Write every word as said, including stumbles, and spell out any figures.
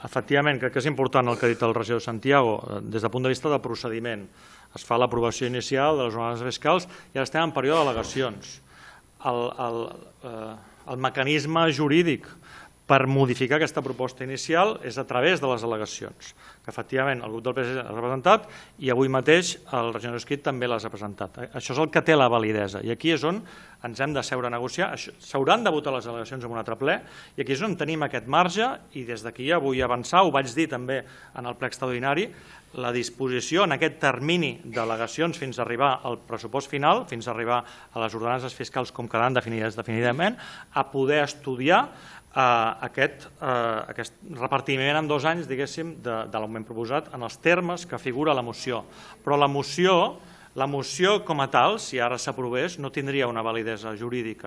Efectivament, crec que és important el que ha dit el regidor Santiago. Des del punt de vista de procediment, es fa l'aprovació inicial de les ordenances fiscals i ara estem en període d'al·legacions. El, el, eh, el mecanisme jurídic per modificar aquesta proposta inicial és a través de les al·legacions, que efectivament el grup del P S C ha presentat i avui mateix el regidor Esquit també les ha presentat. Això és el que té la validesa i aquí és on ens hem de seure a negociar. S'hauran de votar les al·legacions en un altre ple i aquí és on tenim aquest marge i des d'aquí ja vull avançar, ho vaig dir també en el ple extraordinari, la disposició en aquest termini d'al·legacions fins a arribar al pressupost final, fins a arribar a les ordenances fiscals com quedaran definides definitivament, a poder estudiar aquest repartiment en dos anys, diguéssim, de l'augment proposat en els termes que figura la moció. Però la moció, la moció com a tal, si ara s'aprovés, no tindria una validesa jurídica.